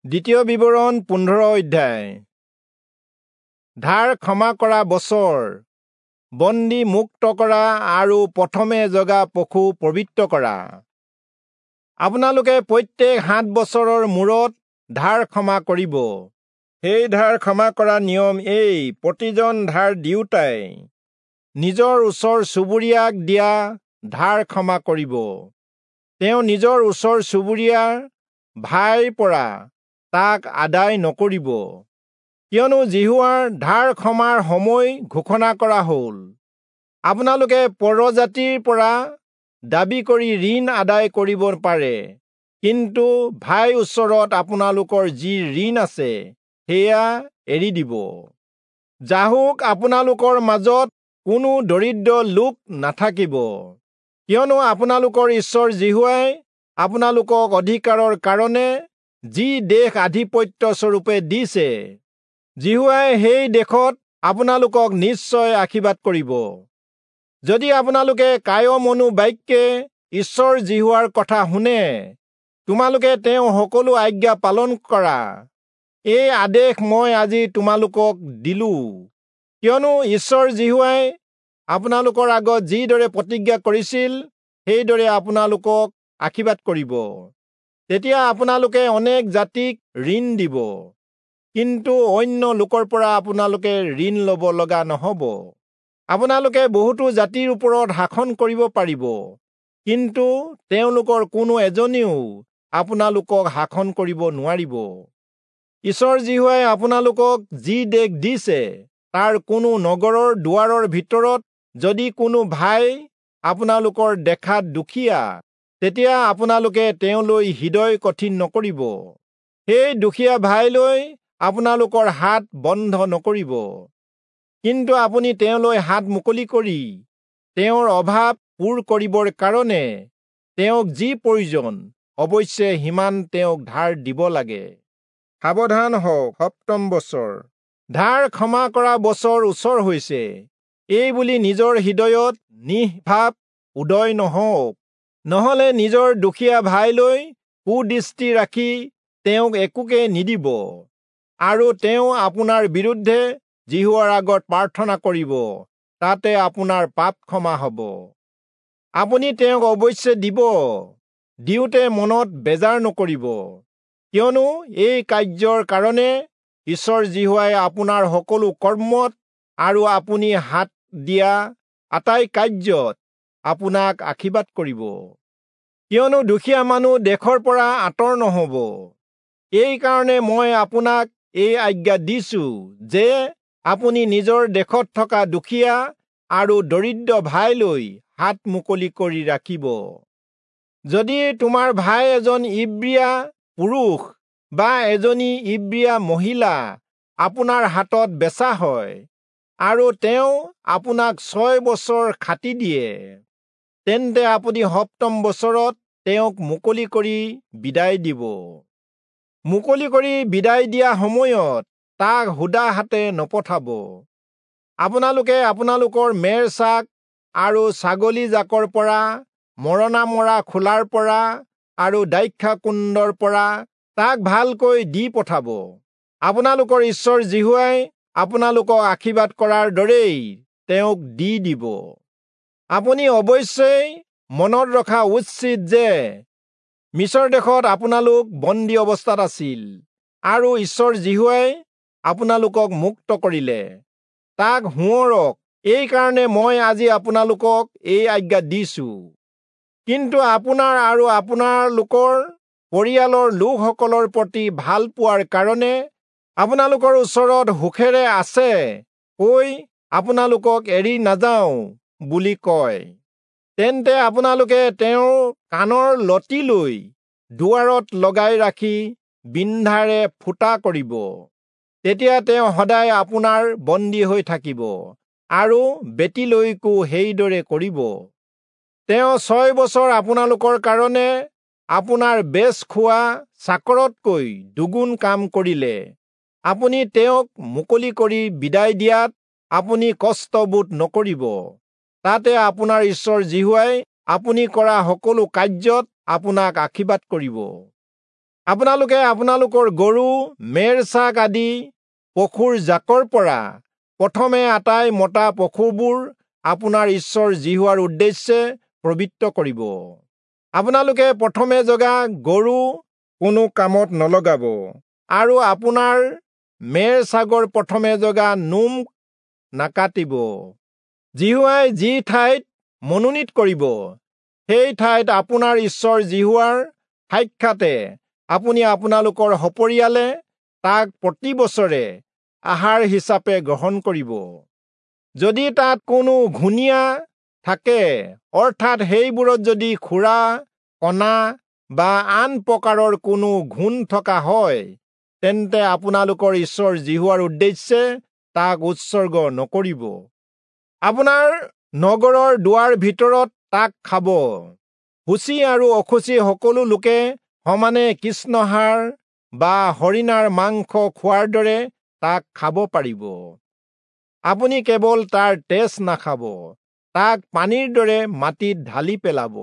দ্বিতীয় বিৱৰণ 15 অধ্যায়। ধাৰ ক্ষমা কৰা বছৰ, বন্দী মুক্ত কৰা আৰু প্ৰথমে জগা পশু পবিত্ৰ কৰা। আপোনালোকে প্ৰত্যেক 7 বছৰৰ মূৰত ধাৰ ক্ষমা কৰিব। সেই ধাৰ ক্ষমা কৰা নিয়ম এই: প্ৰতিজন ধাৰ দিওঁতাই নিজৰ ওচৰ চুবুৰীয়াক দিয়া ধাৰ ক্ষমা কৰিব। তেওঁ নিজৰ ওচৰ চুবুৰীয়াৰ ভাইৰ পৰা তাক আদায় নকৰিব, কিয়নো যিহোৱাৰ ধাৰ ক্ষমাৰ সময় ঘোষণা কৰা হ'ল। আপোনালোকে পৰজাতিৰ পৰা দাবী কৰি ঋণ আদায় কৰিব পাৰে, কিন্তু ভাইৰ ওচৰত আপোনালোকৰ যি ঋণ আছে সেয়া এৰি দিব। যাহোক আপোনালোকৰ মাজত কোনো দৰিদ্ৰ লোক নাথাকিব, কিয়নো আপোনালোকৰ ঈশ্বৰ যিহোৱাই আপোনালোকক অধিকাৰৰ কাৰণে যি দেশ আধিপত্য স্বৰূপে দিছে, যিহোৱাই সেই দেশত আপোনালোকক নিশ্চয় আশীৰ্বাদ কৰিব। যদি আপোনালোকে কায়মনোবাক্যে ঈশ্বৰ যিহোৱাৰ কথা শুনে, তোমালোকে তেওঁ সকলো আজ্ঞা পালন কৰা, এই আদেশ মই আজি তোমালোকক দিলো। কিয়নো ঈশ্বৰ যিহোৱাই আপোনালোকৰ আগত যিদৰে প্ৰতিজ্ঞা কৰিছিল, সেইদৰে আপোনালোকক আশীৰ্বাদ কৰিব। তেতিয়া আপোনালোকে অনেক জাতিক ঋণ দিব, কিন্তু অন্য লোকৰ পৰা আপোনালোকে ঋণ ল'ব লগা নহ'ব। আপোনালোকে বহুতো জাতিৰ ওপৰত শাসন কৰিব পাৰিব, কিন্তু তেওঁলোকৰ কোনো এজনেও আপোনালোকক শাসন কৰিব নোৱাৰিব। ঈশ্বৰ যিহোৱাই আপোনালোকক যি দেশ দিছে, তাৰ কোনো নগৰৰ দুৱাৰৰ ভিতৰত যদি কোনো ভাই আপোনালোকৰ দেখাত দুখীয়া, তেতিয়া আপোনালোকে তেওঁলৈ হৃদয় কঠিন নকৰিব। সেই দুখীয়া ভাইলৈ আপোনালোকৰ হাত বন্ধ নকৰিব, কিন্তু আপুনি তেওঁলৈ হাত মুকলি কৰি তেওঁৰ অভাৱ পূৰ কৰিবৰ কাৰণে তেওঁক যি প্ৰয়োজন অৱশ্যে সিমান তেওঁক ধাৰ দিব লাগে। সাৱধান হওক, সপ্তম বছৰ ধাৰ ক্ষমা কৰা বছৰ ওচৰ হৈছে, এই বুলি নিজৰ হৃদয়ত নিঃভাৱ উদয় নহওক। নহলে নিজৰ দুখীয়া ভাইলৈ কুদৃষ্টি ৰাখি তেওঁক একোকে নিদিব, আৰু তেওঁ আপোনাৰ বিৰুদ্ধে যিহোৱাৰ আগত প্ৰাৰ্থনা কৰিব, তাতে আপোনাৰ পাপ ক্ষমা হ'ব। আপুনি তেওঁক অৱশ্যে দিব, দিওঁতে মনত বেজাৰ নকৰিব, কিয়নো এই কাৰ্যৰ কাৰণে ঈশ্বৰ যিহোৱাই আপোনাৰ সকলো কৰ্মত আৰু আপুনি হাত দিয়া আটাই কাৰ্যত আপোনাক আশীৰ্বাদ কৰিব। কিয়নো দুখীয়া মানুহ দেশৰ পৰা আঁতৰ নহ'ব। এইকাৰণে মই আপোনাক এই আজ্ঞা দিছো যে আপুনি নিজৰ দেশত থকা দুখীয়া আৰু দৰিদ্ৰ ভাইলৈ হাত মুকলি কৰি ৰাখিব। যদি তোমাৰ ভাই এজন ইব্ৰীয়া পুৰুষ বা এজনী ইব্ৰীয়া মহিলা আপোনাৰ হাতত বেচা হয়, আৰু তেওঁ আপোনাক 6 বছৰ খাটি দিয়ে, তেন্তে আপুনি সপ্তম বছৰত তেওঁক মুকলি কৰি বিদায় দিব। মুকলি কৰি বিদায় দিয়া সময়ত তাক সুদা হাতে নপঠাব। আপোনালোকে আপোনালোকৰ মেৰ চাক আৰু ছাগলী জাকৰ পৰা, মৰণা মৰা খোলাৰ পৰা আৰু দ্ৰাক্ষাকুণ্ডৰ পৰা তাক ভালকৈ দি পঠাব। আপোনালোকৰ ঈশ্বৰ যিহোৱাই আপোনালোকক আশীৰ্বাদ কৰাৰ দৰেই তেওঁক দি দিব। আপুনি অৱশ্যেই মনত ৰখা উচিত যে মিচৰ দেশত আপোনালোক বন্দী অৱস্থাত আছিল, আৰু ঈশ্বৰ যিহোৱাই আপোনালোকক মুক্ত কৰিলে। তাক সোঁৱৰক, এইকাৰণে মই আজি আপোনালোকক এই আজ্ঞা দিছো। কিন্তু আপোনাৰ আৰু আপোনালোকৰ পৰিয়ালৰ লোকসকলৰ প্ৰতি ভাল পোৱাৰ কাৰণে আপোনালোকৰ ওচৰত সুখেৰে আছে কৈ আপোনালোকক এৰি নাযাওঁ বুলি কয়, তেন্তে আপোনালোকে তেওঁৰ কাণৰ লতিলৈ দুৱাৰত লগাই ৰাখি বিন্ধাৰে ফুটা কৰিব। তেতিয়া তেওঁ সদায় আপোনাৰ বন্দী হৈ থাকিব, আৰু বেটীলৈকো সেইদৰে কৰিব। তেওঁ 6 বছৰ আপোনালোকৰ কাৰণে আপোনাৰ বেচ খোৱা চাকৰতকৈ দুগুণ কাম কৰিলে। আপুনি তেওঁক মুকলি কৰি বিদায় দিয়াত আপুনি কষ্টবোধ নকৰিব। তাতে আপোনাৰ ঈশ্বৰ যিহোৱাই আপুনি কৰা সকলো কাৰ্যত আপোনাক আশীৰ্বাদ কৰিব। আপোনালোকে আপোনালোকৰ গৰু, মেৰ ছাগ আদি পশুৰ জাকৰ পৰা প্ৰথমে আটাই মতা পশুবোৰ আপোনাৰ ঈশ্বৰ যিহোৱাৰ উদ্দেশ্যে পবিত্ৰ কৰিব। আপোনালোকে প্ৰথমে জগা গৰু কোনো কামত নলগাব আৰু আপোনাৰ মেৰ ছাগৰ প্ৰথমে জগা নোম নাকাটিব। যিহোৱাই যি ঠাইত মনোনীত কৰিব, সেই ঠাইত আপোনাৰ ঈশ্বৰ যিহোৱাৰ সাক্ষাতে আপুনি আপোনালোকৰ সপৰিয়ালে তাক প্ৰতি বছৰে আহাৰ হিচাপে গ্ৰহণ কৰিব। যদি তাত কোনো ঘূণীয়া থাকে, অৰ্থাৎ সেইবোৰত যদি খুৰা, কণা বা আন প্ৰকাৰৰ কোনো ঘূণ থকা হয়, তেন্তে আপোনালোকৰ ঈশ্বৰ যিহোৱাৰ উদ্দেশ্যে তাক উৎসৰ্গ নকৰিব। আপোনাৰ নগৰৰ দুৱাৰ ভিতৰত তাক খাব। শুচি আৰু অশুচি সকলো লোকে সমানে কৃষ্ণহাৰ বা হৰিণাৰ মাংস খোৱাৰ দৰে তাক খাব পাৰিব। আপুনি কেৱল তাৰ তেজ নাখাব, তাক পানীৰ দৰে মাটিত ঢালি পেলাব।